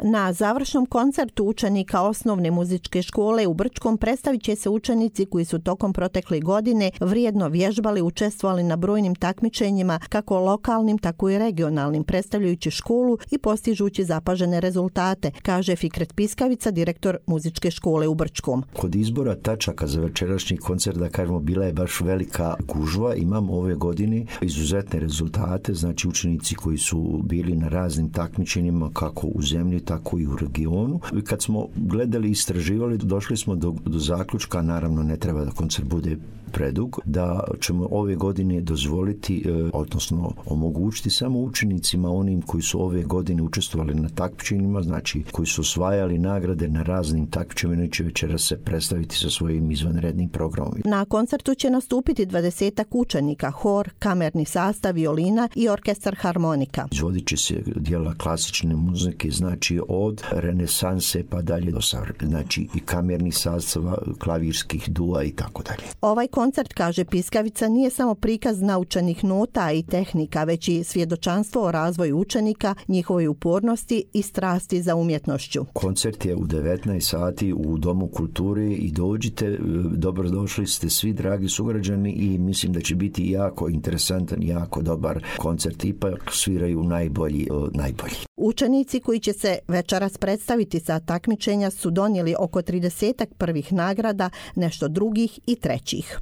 Na završnom koncertu učenika osnovne muzičke škole u Brčkom predstavit će se učenici koji su tokom protekle godine vrijedno vježbali, učestvovali na brojnim takmičenjima, kako lokalnim, tako i regionalnim, predstavljajući školu i postižući zapažene rezultate, kaže Fikret Piskavica, direktor muzičke škole u Brčkom. Kod izbora tačaka za večerašnji koncert, da kažemo, bila je baš velika gužva. Imamo ove godine izuzetne rezultate, znači učenici koji su bili na raznim takmičenjima, kako u zemlji, tako i u regionu. Kad smo gledali i istraživali, došli smo do zaključka, naravno ne treba da koncert bude predug, da ćemo ove godine dozvoliti, odnosno omogućiti samo učenicima, onim koji su ove godine učestvovali na takmičenjima, znači koji su osvajali nagrade na raznim takmičenjima, će večeras se predstaviti sa svojim izvanrednim programom. Na koncertu će nastupiti 20 učenika, hor, kamerni sastav, violina i orkestar harmonika. Izvodit će se dijela klasične muzike, znači od renesanse pa dalje do savremena, znači i kamerni sastav, klavirskih dua i tako dalje. Ovaj koncert, kaže Piskavica, nije samo prikaz naučenih nota i tehnika, već i svjedočanstvo o razvoju učenika, njihovoj upornosti i strasti za umjetnošću. Koncert je u 19 sati u Domu kulture i dođite, dobrodošli ste svi dragi sugrađani i mislim da će biti jako interesantan, jako dobar koncert, ipak sviraju najbolji. Učenici koji će se večeras predstaviti sa takmičenja su donijeli oko 30 prvih nagrada, nešto drugih i trećih.